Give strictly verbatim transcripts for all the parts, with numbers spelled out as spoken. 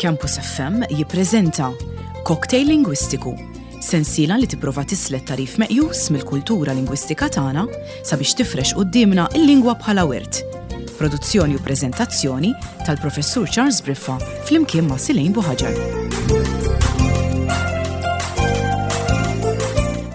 Campus F M jippreżenta Cocktail Lingwistiku, sensiela li tipprova tislet tarif meqjus mill-kultura lingwistika tagħna sabiex tifrex quddiemna l-lingwa bħala wirt. Produzzjoni u preżentazzjoni tal-Professur Charles Briffa flimkien ma' Silejn Buħaġar.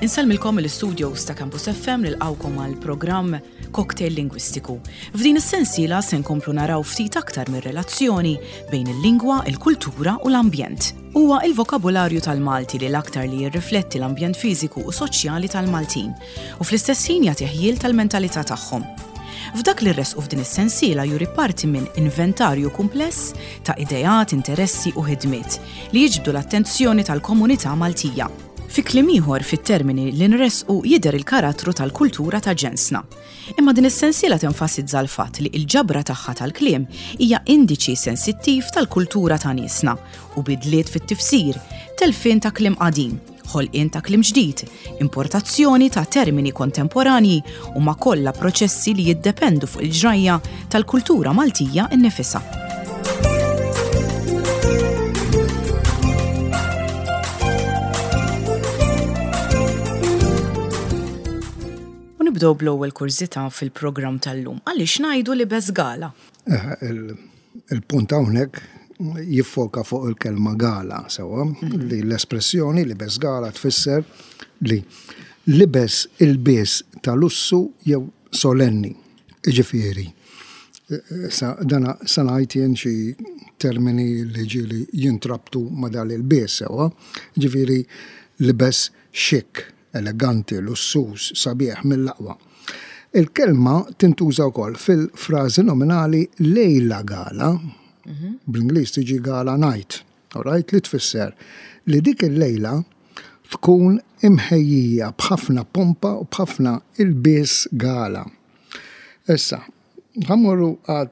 Insellmilkom mill-istudios ta' Campus F M nilqgħukom għal programm Cocktail Lingwistiku. F'din is-sensiela se nkomplu naraw ftit aktar mir-relazzjoni bejn il-lingwa, il-kultura u l-ambjent. Huwa il-vokabularju tal-Malti li l-aktar li jirrifletti l-ambjent fiżiku u soċjali tal-Maltin u fl-istess ħin jagħti ħjiel tal-mentalità tagħhom. F'dak li rresqu f'din is-sensiela juri parti minn inventarju kumpless ta' ideat, interessi u ħidmiet li jiġbdu l-attenzjoni tal-komunità Maltija. Fi kliem ieħor fit-termini li nresqu jidher il-karattru tal-kultura ta' ġensna. Imma din is-sensiela tenfasizza l-fatt li l-ġabra tagħha tal-kliem hija indiċi sensittiv tal-kultura ta' niesna u bidliet fit-tifsir, telfien ta' kliem qadim, ħolqien ta' kliem ġdid, importazzjoni ta' termini kontemporanji u ma' kollha proċessi li jiddependu fuq il-ġrajja tal-kultura Maltija nnifisha. Nibdew bl-ewwel kurżità fil-programm tal-lum. Għaliex ngħidu li bez gala? Il-punt hawnhekk jiffoka fuq il-kelma gala, sewwa, li l-espressjoni li bez gala tfisser li libes il-bies ta' lussu jew solenni. Jiġifieri, sa dana sa ngħid jien xi termini li ġieli jintrabtu ma' dan il-bies, sewwa. Jiġifieri libes xik, eleganti, lussuż, sabiħ mill-aqwa. Il-kelma tintuża wkoll fil-frażi nominali lejla gala, Mhm. bl-Ingliż tiġi gala night, all right, li tfisser li dik il-lejla tkun imħejjija b'ħafna pompa u b'ħafna ilbies gala. Issa, ħammorru għad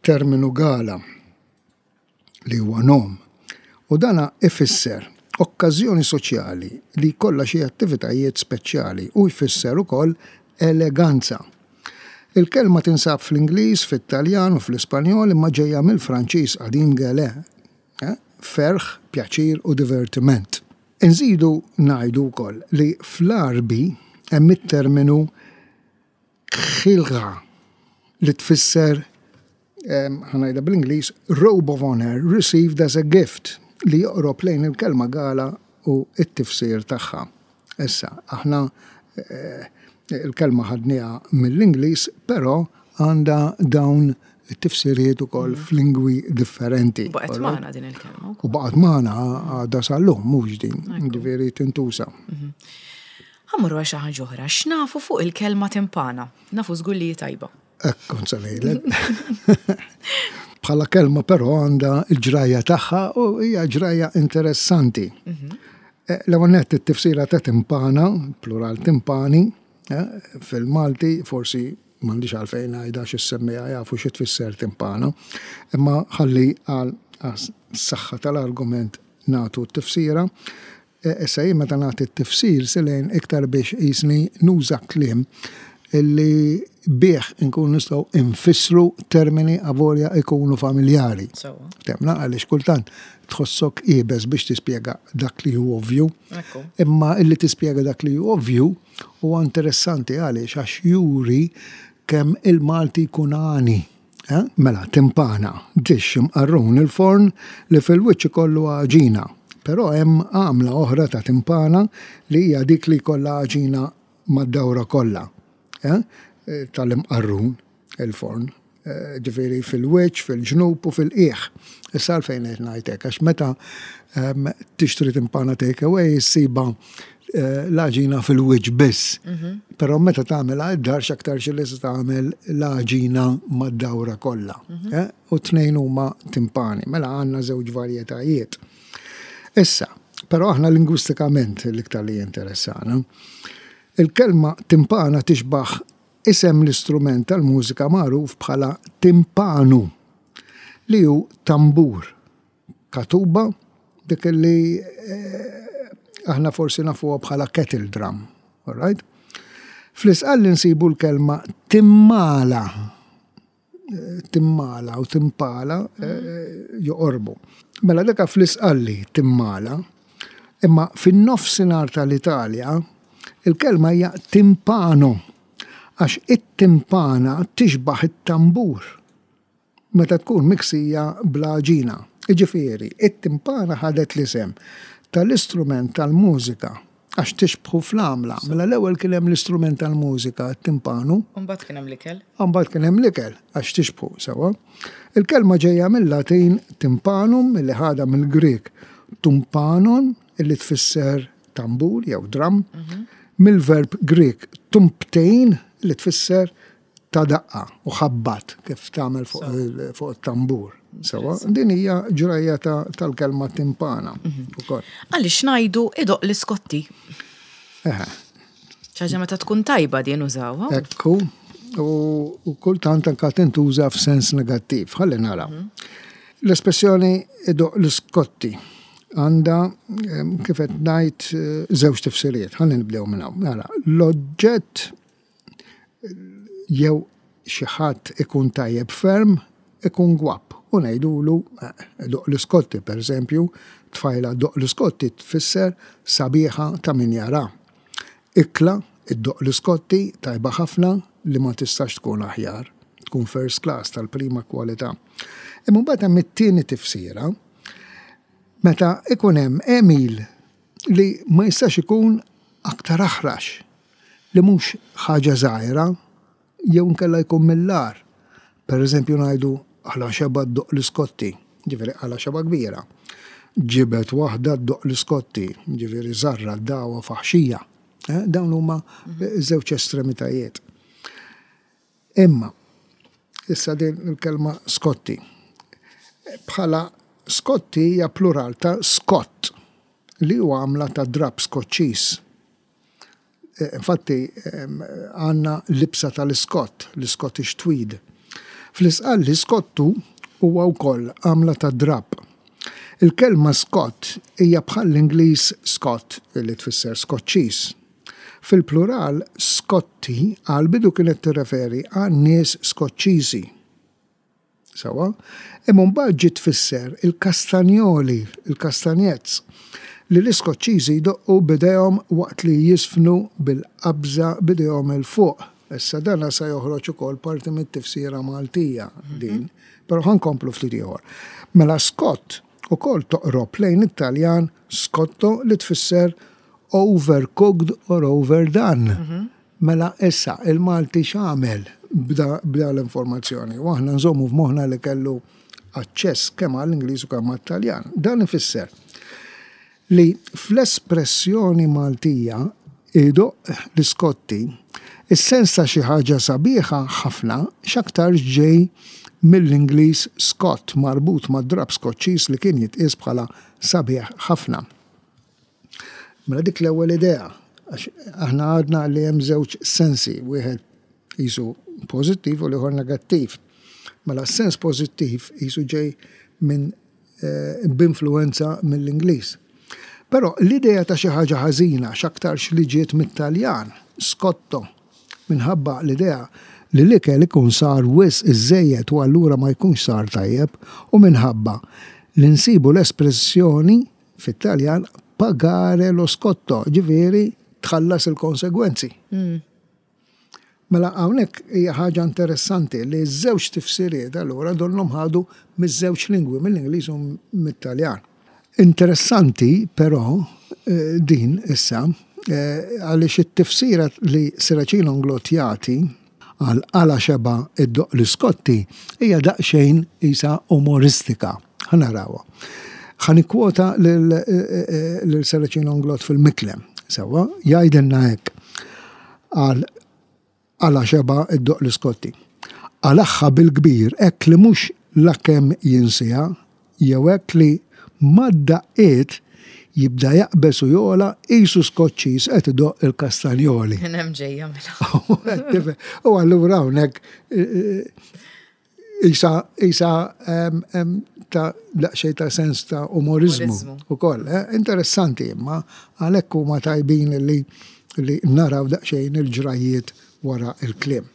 terminu gala li huwa nom, u dana ifisser okkażjoni soċjali li jkollha xi attivitajiet speċjali u jfisser ukoll eleganza. Il-kelma tinsab fl-Ingliż, fit-Taljan u fl-Ispanjol imma ġejja mill-Franċiż qadim gele, eh? Ferħ, pjaċir u divertiment. Inżidu ngħidu wkoll li fl-Għarbi hemm it-terminu khilgha li tfisser, ehm, ħa ngħidha bl-Ingliż, robe of honor received as a gift, li joqrob lejn il-kelma gala u t-tifsir tagħha. Issa, aħna, eh, il-kelma ħadniha mill-Ingliż, però għandha dawn it-tifsiriet ukoll Mhm. f'lingwi differenti. Baqgħet magħna din il-kelma wkoll. U baqgħet magħna għadha sal-lum, mhux din, Ekku. ġifieri tintuża. Mhm. Ħammorru għal xi ħaġa oħra, x'nafu fuq il-kelma timpana? Nafu żgur li hi tajba. Hekk kont se ngħidlek. Bħala kelma però għandha l-ġrajja tagħha u hija ġrajja interessanti. Mhm. Eh, l-ewwel nett it-tifsira ta' timpana, plural timpani, eh, fil-Malti forsi m'għandix għalfejn ngħidha xi ssemmiha jafu xi tfisser timpana, imma ħalli għal s-saħħa tal-argument nagħtu t-tifsira. Eh, issa jien meta nagħti t-tifsir silejn iktar biex qisni nuża kliem illi bih inkun nistgħu infissru termini avolja ikunu familjari. Sewwa. Temna għaliex kultant tħossok iebes biex tispjega dak li hu ovvju. Ekku. Imma illi tispjega dak li hu ovvju huwa interessanti għaliex għax juri kemm il-Malti jkun għani. Eh? Mela, timpana, dixx imqarrun il-forn li fil-wiċċ ikollu għaġina. Però hemm għamla oħra ta' timpana li hija dik li jkollha għaġina mad-dawra kollha. Eh? Tal-imqarrun il-forn. Eh, ġifieri fil-wiċċ, fil-ġnub u fil-qiegħ. Issa għalfejn qed ngħid hekk, għax meta, ehm, tixtri timpana take away ssiba, eh, l-għaġina fil-wiċċ biss. Mhm. Però meta tagħmilha id-dar x'aktar xi li se tagħmel l-għaġina mad-dawra kollha. Mhm. Eh, u tnejn huma timpani, mela għandna żewġ varjetajiet. Issa, però aħna lingwistikament l-iktar li jinteressana. Il-kelma timpana tixbaħ isem l-istrument tal-mużika magħruf bħala timpanu, li hu tambur, katuba, dik li, eh, aħna forsi nafuha bħala kettle drum, all right? Fl-isqal li nsibu l-kelma timmala, Timmala u timpala eh, joqorbu. Mela deka fl-Isqalli timmala, imma fin-nofsinhar tal-Italja il-kelma hija timpano, għax it-timpana tixbaħ it-tambur meta tkun miksija bl-għaġina. Iġifieri, it-timpana ħadet l-isem tal-istrument tal-mużika għax tixbħu fl-għamla. Mela l-ewwel kien hemm l-istrument tal-mużika, t-timpanu. Mbagħad kien hemm l-ikel. Mbagħad kien hemm l-ikel għax tixbħu sewwa. Il-kelma ġejja mill-Latin timpanum, illi ħadha mill-Grek tumpanon, illi tfisser tambur jew drum, mill-verb Grek tumptejn, li tfisser ta' daqqa u ħabbat kif tagħmel fuq it-tambur. Sewwa, din hija ġrajja tal-kelma timpana ukoll. Għaliex ngħidu "idoqq l-iskotti"? Eħe. ċaġa meta tkun tajba din użawha. Ekku, u kultant anka tintuża f'sens negattiv. Ħalli naraw. L-espressjoni "idoqq l-iskotti" għandha, kif qed ngħid, żewġ tifsiriet. Ħalli nibdew minn hawn. Nara, l-oġġett jew xi ħadd ikun tajjeb ferm, ikun gwapp. U ngħidulu "idoqq l-iskotti", per eżempju, tfajla ddoqq l-iskotti tfisser sabiħa ta' min jara. Ikla iddoqq l-iskotti, tajba ħafna li ma tistax tkun aħjar, tkun first class, tal-prima kwalità. Imma mbagħad hemm it-tieni tifsira, meta ikun hemm għemil li ma jistax ikun aktar aħrax, li mhux ħaġa żgħira jew nkella jkun mill-agħar. Per eżempju ngħidu "għala xeba ddoqq l-iskotti", ġifieri għala xeba kbira. Ġibet waħda ddoqq l-iskotti, ġifieri żarra dawa faħxija. Eh, dawn huma żewġ estremitajiet. Imma, issa din il-kelma skotti. Bħala skotti hija plural ta' scott, li huwa għamla ta' drab Skoċċiż. Infatti, għandna libsa tal-Scott, l-Scottish tweed. Fl-Isqalli skottu huwa wkoll għamla ta' drab. Il-kelma Scott hija bħal l-Ingliż Scot, li tfisser Skoċċiż. Fil-plural Scotti għal bidu kienet tirreferi għal nies Skoċċiżi. Sewwa, imma mbagħad ġiet tfisser il-kastanjoli, il-kastanjezz, li l-Iskoċċiżi jdoqqu b'idejhom waqt li jiżfnu bil-qabża b'idejhom 'il fuq. Issa dana sa joħroġ ukoll parti mit-tifsira Maltija din, però ħa nkomplu ftit ieħor. Mela Scott ukoll toqrob lejn it-Taljan scotto, li tfisser overcooked or overdone. Mela issa il-Malti x'għamel b'da l-informazzjoni? U aħna nżommu f'moħħna li kellu aċċess kemm għall-Ingliż u kemm għat-Taljan. Dan ifisser li fl-espressjoni Maltija "idoqq l-iskotti", is-sens ta' xi ħaġa sabiħa ħafna x'aktar ġej mill-Ingliż Scott, marbut ma' drab Skoċċiż li kien jitqies bħala sabiħ ħafna. Mela dik l-ewwel idea, għax aħna għadna li hemm żewġ sensi, wieħed qisu pożittiv u l-ieħor negattiv. Mela s-sens pożittiv qisu ġej minn eh, b'influenza mill-Ingliż. Però l-idea ta' xi ħaġa ħażina x'aktarx li ġiet mit-Taljan, scotto, minħabba l-idea li l-ikel ikun sar wisq iżejjed u allura ma jkunx sar tajjeb, u minħabba li nsibu l-espressjoni fit-Taljan "pagare lo scotto", ġifieri tħallas il-konsegwenzi. Mela hawnhekk hija ħaġa interessanti li ż-żewġ tifsiriet allura donnhom ħadu miż-żewġ lingwi, mill-Ingliż u mit-Taljan. Interessanti però eh, din issa eh, għaliex it-tifsira li Serracino Inglott jagħti għal "għala xeba iddoqq l-iskotti" hija daqsxejn isa umoristika. Ħa narawha. Ħa nikkwota lil eh, lil Serracino Inglott fil-Miklem. Sewwa, jgħidilna hekk għal "għala xeba iddoqq l-iskotti": "Qalagħha bil-kbir hekk li mhux lakemm jinsiha, jew hekk li mad-daqqiet jibda jaqbeż u jogħla qisu Skoċċiż qed idoqq il-kastanjoli." Minn hemm ġejja mela. U allura hawnhekk isa isa ta' daqsxejn ta' sens ta' umorizmu Umorizmu. ukoll. Eh? Interessanti, imma għalhekk huma tajbin li li naraw daqsxejn il-ġrajiet wara il-kliem.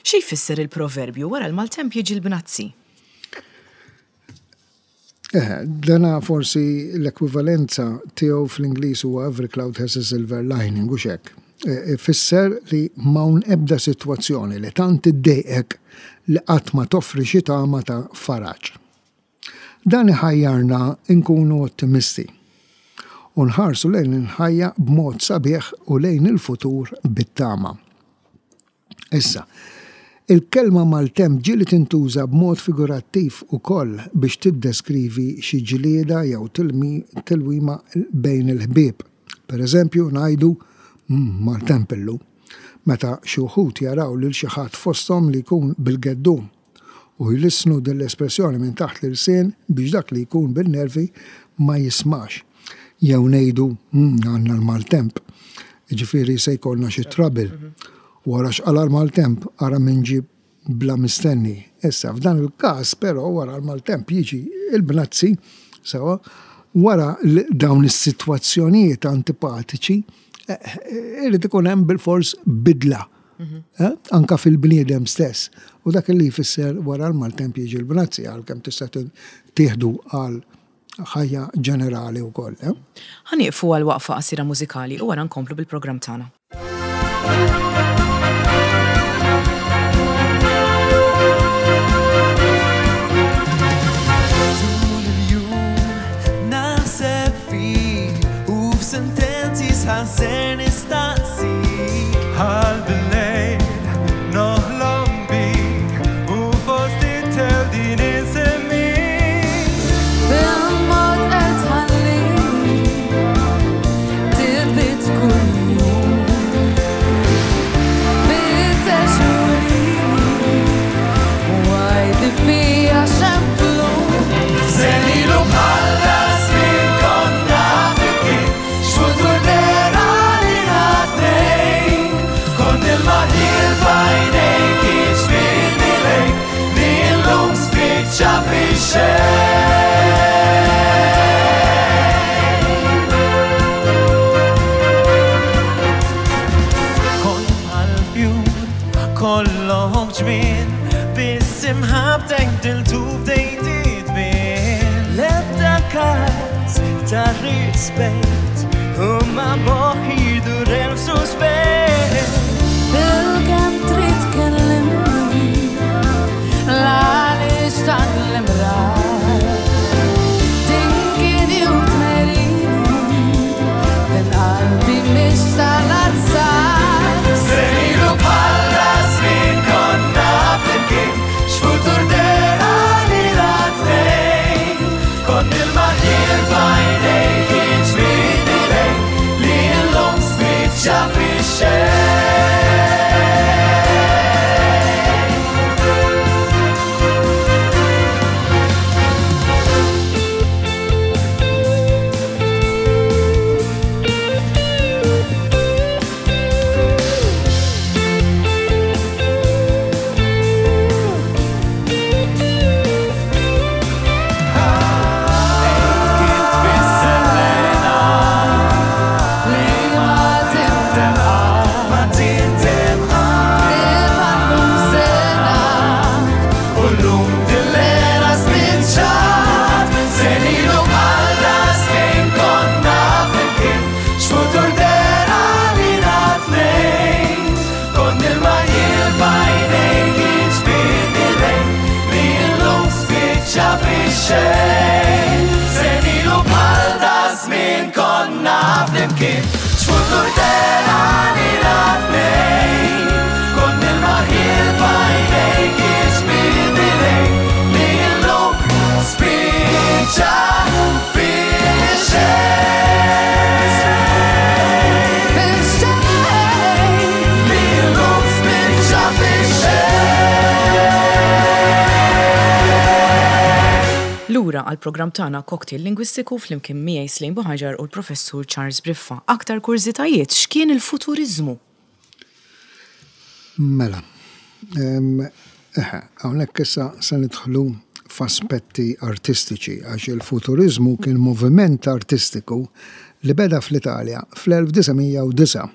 Xi jfisser il-proverbju wara l-maltemp jiġi l-bnazzi? Eh, dana forsi l-ekwivalenza tiegħu fl-Ingliż huwa "every cloud has a silver lining" u hekk. Ifisser li m'hawn ebda sitwazzjoni li tant iddejqek li qatt ma toffri xi tama ta' faraġ. Dan iħajjarna nkunu ottimisti u nħarsu lejn il-ħajja b'mod sabiħ u lejn il-futur bit-tama. Issa, il-kelma maltemp ġieli tintuża b'mod figurattiv ukoll biex tiddeskrivi xi ġlieda jew tilwima bejn il-ħbieb. Per eżempju, ngħidu mm, maltemp illum, meta xi wħud jaraw lil xi ħadd fosthom li jkun bil-geddum u jlissnu din l-espressjoni minn taħt l-ilsien biex dak li jkun bil-nervi ma jismax. Jew ngħidu mm, għandna l-maltemp, ġifieri se jkollna xi trouble. Wara x'qala l-maltemp, ara min ġie bla mistenni. Issa, f'dan il-każ, però, wara l-maltemp jiġi il-bnazzi, sewa, wara dawn is-sitwazzjonijiet antipatiċi, eh, eh, irid ikun hemm bil-fors bidla. Mhm. Eh, anka fil-bniedem stess. U dak li jfisser wara l-maltemp jiġi l-bnazzi, għalkemm tista' tieħdu għal ħajja ġenerali wkoll. Ħa nieqfu għal waqfa qasira mużikali u wara nkomplu bil-programm tagħna. Sentenzi sħażer nistaqsik Għal bil-lejl noħlom bik u fost it-tel din insemmik Bil-mod qed tħallini titbit kuljum. Fittex urini u għidli fija x'hemm Senilu bħal żmien konna flimkien, x'futur dera li tnejn. Kont il-maħil f'għajnejk jiġbidni lejk, li llum spiċċa fix-xejn. Kont bħal fjur kollok ġmien, biss imħabbtek bdiltu bdejt titbien. L-ebda każ ta' rispett u ma moħħi jdur elf suspett. Bil-kemm trid tkellimni l-għaliex dan l-imrar. Tinkini u tmerini din qalbi mhix tal-azzar. Senilu bħal żmien konna flimkien, x'futur dera li tnejn. Kont il-maħil f'għajnejk jiġbidni lejk, li llum spiċċa fix-xejn. Kif tfisser l-hena Li ma tindem ma tindem Tibqa' sena U llum dil-lera spiċċat Senilu bħal żmien konna flimkien, x'futur dera li tnejn. Kont il-maħil f'għajnejk jiġbidni lejk, li llum spiċċa fix-xejn. Senilu bħal żmien konna flimkien, x'futur dera li tnejn. Kont il-maħil f'għajnejk jiġbidni lejk, li llum spiċċa fix-xejn. Fix-xejn. Li llum spiċċa fix-xejn. Lura għal programm tagħna Cocktail Lingwistiku flimkien miegħi Slim Buhaġar u l-Professur Charles Briffa. Aktar kurżitajiet, x'kien il-futurizmu? Mela, em, eħe, hawnhekk issa se nidħlu f'aspetti artistiċi, għax il-futurizmu kien moviment artistiku li beda fl-Italja fl-elf disa' mija u disgħa.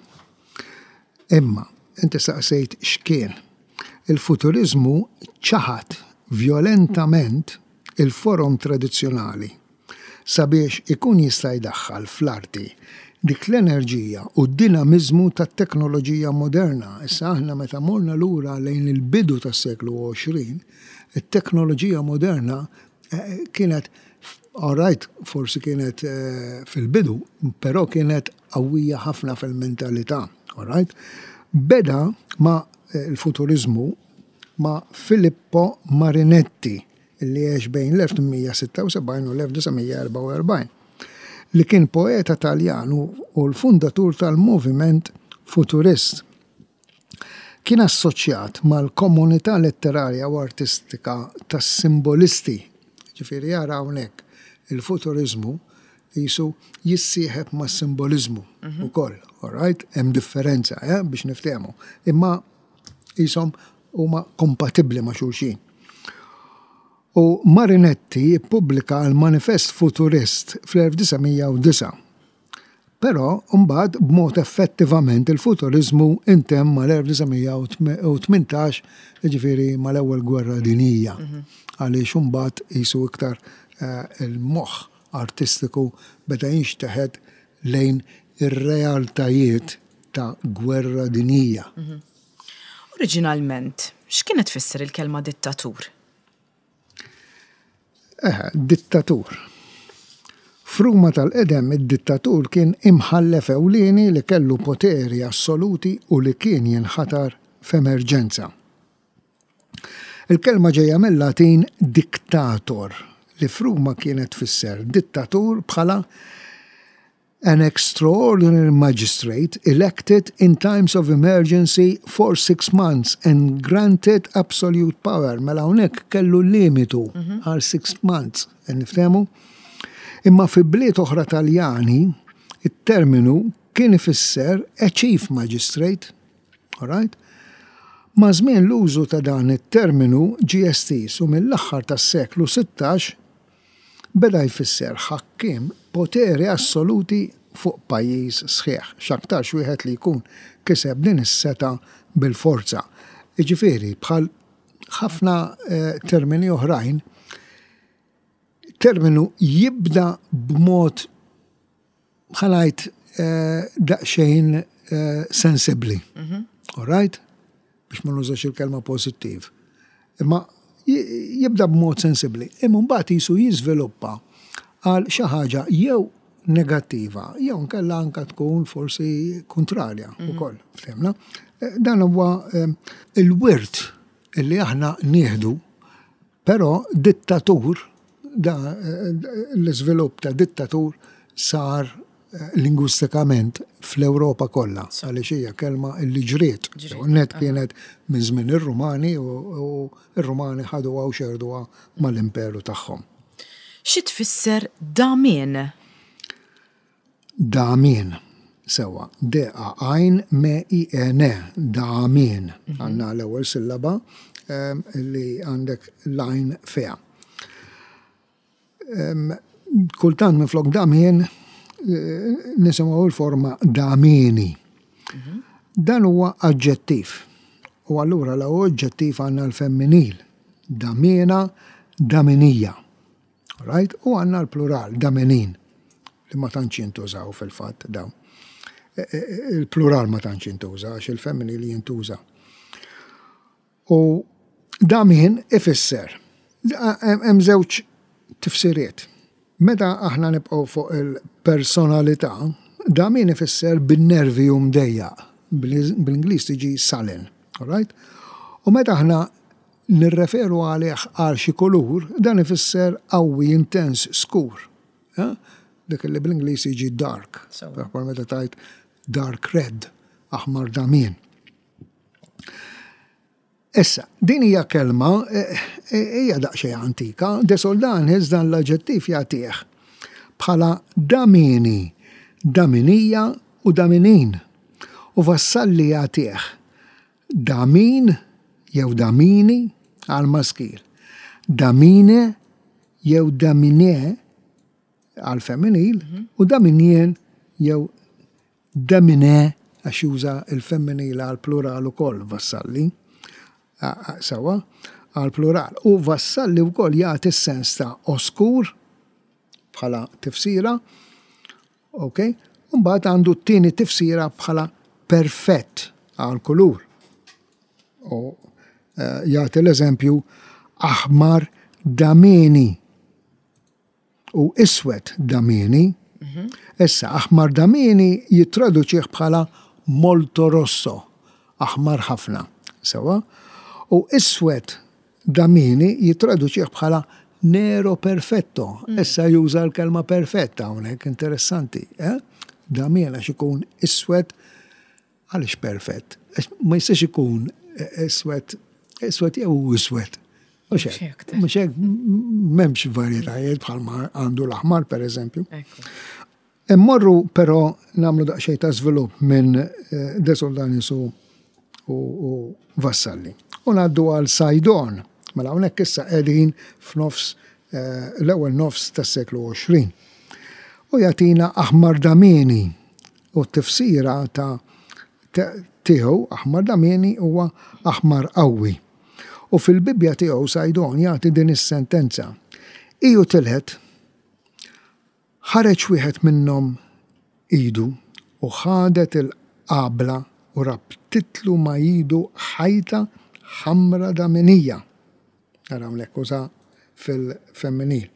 Imma Inti saqsejt x'kien. Il-futurizmu ċaħat vjolentament il-forom tradizzjonali sabiex ikun jista' jdaħħal fl-arti dik l-enerġija u d-dinamizmu tat-teknoloġija moderna. Issa aħna meta morna lura lejn il-bidu tas-seklu għoxrin, it-teknoloġija moderna eh, kienet, all right, forsi kienet eh, fil-bidu, però kienet qawwija ħafna fil-mentalità, all right? Beda ma eh, il-futurizmu ma' Filippo Marinetti, li għex bejn l-elf tmien mija sitta u sebgħin u l-elf disa' mija erbgħa u erbgħin, li kien poeta Taljan u l-fundatur tal-moviment futurist. Kien assoċjat mal-komunità letterarja u artistika tas-simbolisti. Ġifieri jara hawnhekk il-futurizmu jisu jissieħeb ma' simbolizmu ukoll, all right? Hemm differenza, eh, biex niftehmu. Imma jisom huma kompatibbli ma' xulxin. U Marinetti ippubblika l-Manifest Futurist fl-elf disa' mija u disgħa. Però mbagħad b'mod effettivament il-futurizmu intemm mal-elf disa' mija u tmintax, jiġifieri mal-Ewwel Gwerra Dinjija. Għaliex imbagħad jisu iktar eh, il-moħħ artistiku beda jinxteħet lejn ir-realtajiet ta' gwerra dinjija. Oriġinalment, x'kienet tfisser il-kelma dittatur? Eh, dittatur. F'Ruma tal-qedem, id-dittatur kien imħallef ewlieni li kellu poteri assoluti u li kien jinħatar f'emerġenza. Il-kelma ġejja mill-Latin dictator, li f'Ruma kienet tfisser dittatur bħala an extraordinary magistrate elected in times of emergency for six months and granted absolute power. Mela hawnhekk kellu limitu għal six months, niftehmu? Imma fi bliet oħra Taljani, it-terminu kien ifisser a chief magistrate, all right? Ma' żmien l-użu ta' dan it-terminu ġie estiż u mill-aħħar tas-seklu sittax beda jfisser ħakkim poteri assoluti fuq pajjiż sħiħ, x'aktarx wieħed li jkun kiseb din is-setgħa bil-forza. Jiġifieri bħal ħafna eh, termini oħrajn, terminu jibda b'mod ħalajt eh, daqsxejn eh, sensibli. All right? Biex ma nużax il-kelma pozittiv. Imma jibda b'mod sensibli. Imma mbagħad jisu jiżviluppa għal xi ħaġa jew negattiva, jew nkella anka tkun forsi kontrarja ukoll, fhimna. Eh, Dan huwa eh, il-wirt illi aħna nieħdu, però dittatur, da eh, l-iżvilupp ta' dittatur sar eh, lingwistikament fl-Ewropa kollha, għaliex hija kelma illi ġriet. Net kienet minn żmien ir-Rumani u u ir-Rumani ħaduha u xerduha mal-imperu tagħhom. Xi tfisser damien? Damien. Sewa, D A għajn M I E N, damien. Għandna l-ewwel sillaba em, li għandek l-għajn fiha. Em, Kultant minflok damien eh, nisimgħu l-forma damieni. Dan huwa aġġettiv. U allura la oġġettiv għandna l-femminil. Damiena, daminija. Right? U għandna l-plural, damenin, li ma tantx jintużaw fil-fatt dawn. E, e, Il-plural ma tantx jintuża, għax il-femminil jintuża. U damien ifisser. Hemm żewġ tifsiriet. Meta aħna nibqgħu fuq il-personalità, damien ifisser bin-nervi u mdejjaq. Bil-Ingliż tiġi sullen, all right? U meta aħna nirreferu għalih għal xi kulur, dan ifisser qawwi, intens, skur. Eh? Dik li bl-Ingliż jiġi dark. Sewa. Bħal meta tajt dark red, aħmar damien. Issa, din hija kelma eh, eh, hija daqsxejn antika, De Soldanis dan l-aġġettiv jagħtih bħala damini, daminija u daminin. U Vassalli jagħtih damin jew damini għal maskil, damine jew damine għal femminil u daminien jew damine għax juża il-femminil għal plural ukoll vassalli. Sewwa, għal plural. U vassalli wkoll jagħti s-sens ta' oskur bħala tifsira, ok? Mbagħad għandu t-tieni tifsira bħala perfett għal kulur. U eh, jagħti l-eżempju aħmar damieni u iswed damieni. Issa, aħmar damieni jittraduċih bħala molto rosso, aħmar ħafna, sewwa? U iswed damieni jittraduċih bħala nero perfetto. Issa juża l-kelma perfetta hawnhekk, interessanti. Eh? Damien għax ikun iswed għaliex perfett? Għax ma jistax ikun eh, iswed, iswed jew iswed. Mhux hekk, hekk. mhux hekk, m'hemmx varjetajiet bħalma għandu l-aħmar per eżempju. Ekku. Immorru però nagħmlu daqsxejn ta' żvilupp minn eh, De Soldanis u, u, u Vassalli. U ngħaddu għal Saydon. Mela hawnhekk issa qegħdin f'nofs eh, l-ewwel nofs tas-seklu għoxrin. U jagħtina aħmar damieni u t-tifsira ta' ta- tiegħu aħmar damieni huwa aħmar qawwi. U fil-Bibja tiegħu Saydon jagħti din is-sentenza. Iju tilħet ħareġ wieħed minnhom idu u ħadet il-qabla u rabtitlu ma' idu ħajta ħamra daminija. Ara hawnhekk uża fil-femminil.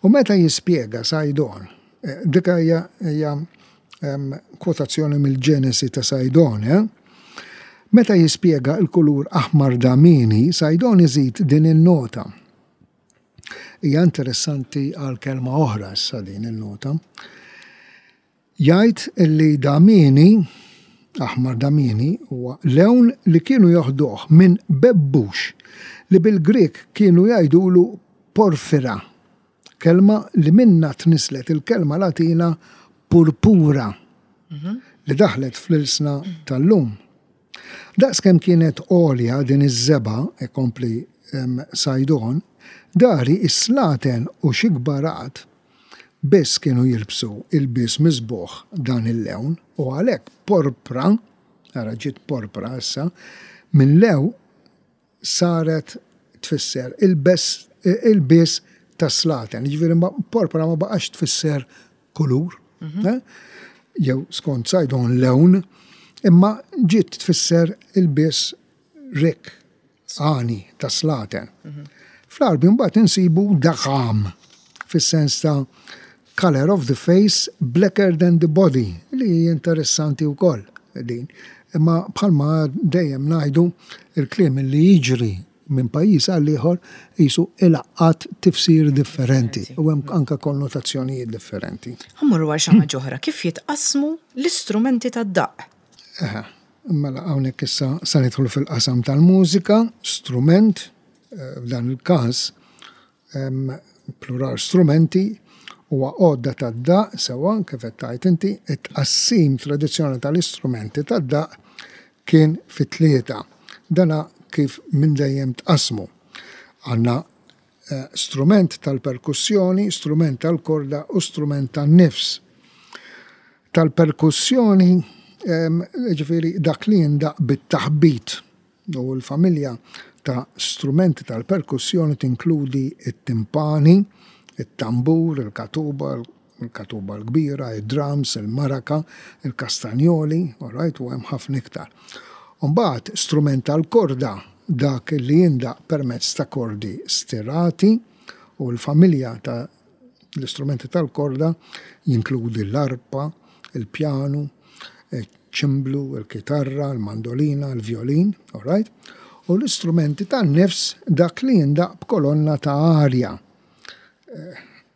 U meta jispjega Saydon, eh, dika hija hija em, kwotazzjoni mill-Ġenesi ta' Saydon, eh? Meta jispjega il-kulur aħmar damieni, Saydon iżid din il-nota. Hija interessanti għal kelma oħra issa din il-nota. Jgħid illi damieni, aħmar damieni, huwa lewn li kienu joħduh minn bebbux li bil-Grek kienu jgħidulu porfira, kelma li minna tnislet il-kelma Latina purpura li daħlet fl-ilsna tal-lum. Daqs kemm kienet għolja din iż-żebgħa, ikompli em, Saydon, dari is-slaten u xi kbarat biss kienu jilbsu ilbies miżbugħ dan il-lewn u għalhekk porpra, ara ġiet porpra issa, minn lew saret tfisser il-bes ilbies tas-slaten. Ġifieri ma- porpra ma baqax tfisser kulur, eh? Jew skont Saydon lewn, imma ġiet tfisser ilbies rikk, għani tas-slaten. Fl-Għarbi mbagħad insibu daħam fis-sens ta' color of the face blacker than the body, li interessanti wkoll din. Imma bħalma dejjem ngħidu, il-kliem li jiġri minn pajjiż għal ieħor jisu ilaqqat tifsir differenti u hemm anka konnotazzjonijiet differenti. Ħa mmorru għal xi ħaġa oħra, kif jitqasmu l-istrumenti tad-daqq? Eħe, mela hawnhekk issa sa nidħlu fil-qasam tal-mużika, strument, eh, f'dan il-każ em, plural strumenti, huwa għodda tad-daqq, sewwa kif qed tgħid inti, it-tqassim tradizzjonali tal-istrumenti tad-daqq kien fi tlieta. Dana kif minn dejjem tqasmu. Għandna eh, strument tal-perkussjoni, strument tal-korda u strument tan-nifs. Tal-perkussjoni, em, ġifieri dak li jindaq bit-taħbit, u l-familja ta' strumenti tal-perkussjoni tinkludi it-timpani, it-tambur, il-katuba, il-katuba l-kbira, il-drums, il-maraka, il-kastanjoli, all right, u hemm ħafna iktar. Mbagħad strument tal-korda, dak li jindaq permezz ta' kordi stirati, u l-familja ta' l-istrumenti tal-korda jinkludi l-arpa, il-pjanu, il-ċimblu, il-kitarra, il-mandolina, il-violin, all right? U l-istrumenti tan-nifs, dak li jindaq b'kolonna ta' arja.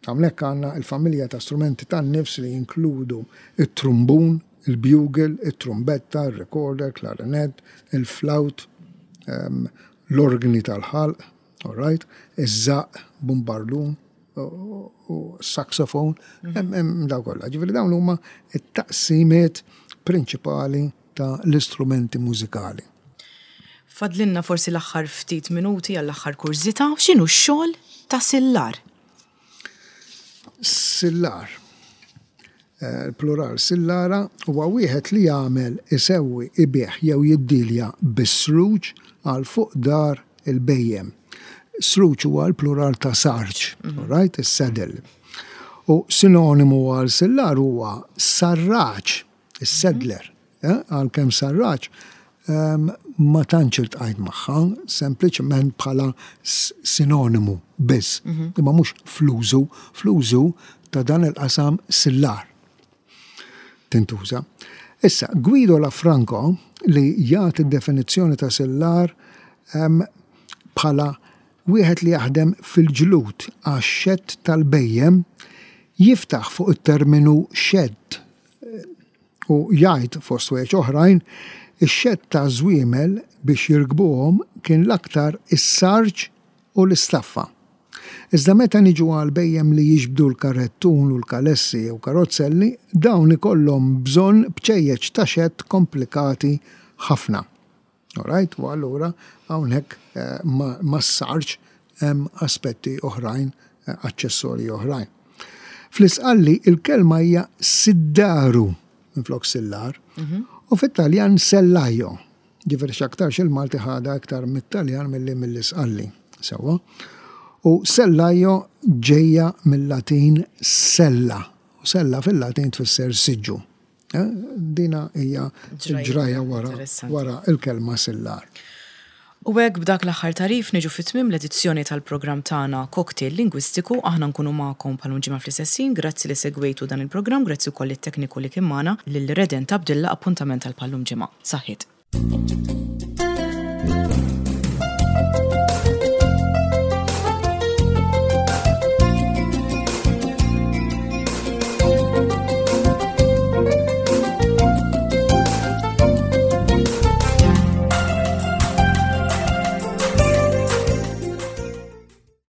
Hawnhekk għandna il-familja ta' strumenti tan-nifs li jinkludu il-trumbun, il-bugle, il-trumbetta, il-recorder, clarinet, il-flawt, em, l-organi tal-ħalq, all right, iż-żaq, bumbardun, u u saxophone, hemm hemm daw kollha. Ġifieri dawn huma it-taqsimiet prinċipali ta' l-istrumenti mużikali. Fadlinna forsi l-aħħar ftit minuti għall-aħħar kurżità, x'inhu x-xogħol ta' sillar? Sillar. il-plural sillara, huwa wieħed li jagħmel, isewwi, ibigħ jew jiddilja bis-sruġ għal fuq dar il-bhejjem. Sruġ huwa l-plural ta' sarġ, right, is-saddle. U sinonimu għal sillar huwa sarraċ, is-saddler, eh, għalkemm sarraċ em, ma tantx iltqajt magħha, sempliċement bħala s- sinonimu biss, imma mhux fl-użu, fl-użu ta' dan il-qasam sillar tintuża. Issa, Guido Lafranco li jagħti definizzjoni ta' sillar em, bħala wieħed li jaħdem fil-ġlud għax-xedd tal-bhejjem, jiftaħ fuq it-terminu xedd u jgħid, fost wieħed oħrajn, ix-xedd ta' żwiemel biex jirkbuhom kien l-aktar is-sarġ u l-istaffa. Iżda meta niġu għal bhejjem li jiġbdu l-karrettun u l-kalessi u karozzelli, dawn ikollhom bżonn bċejjeċ ta' xedd komplikati ħafna. Alright, u allura hawnhekk eh, ma, ma s-sarġ hemm aspetti oħrajn, eh, aċċessorji oħrajn. Fl-Isqalli il-kelma hija siddaru minflok sillar u fit-Taljan sellaio. Ġifieri x'aktarx il-Malti ħadha aktar mit-Taljan milli mill-Isqalli. Sewwa. U sellaio ġejja mill-Latin sella. U sella fil-Latin tfisser siġġu. Eh, Dina hija Ġrajja ġraja wara, interessanti. Wara il-kelma sillar. U hekk b'dak l-aħħar tagħrif niġu fit-tmiem l-edizzjoni tal-programm tagħna Cocktail Lingwistiku. Aħna nkunu magħkom bħal ġimgħa fl-istess. Grazzi li segwejtu dan il-programm, grazzi wkoll it-tekniku li kien magħna, lil Reden Tabdilla. Appuntament għal bħal-lum ġimgħa. Saħħiet.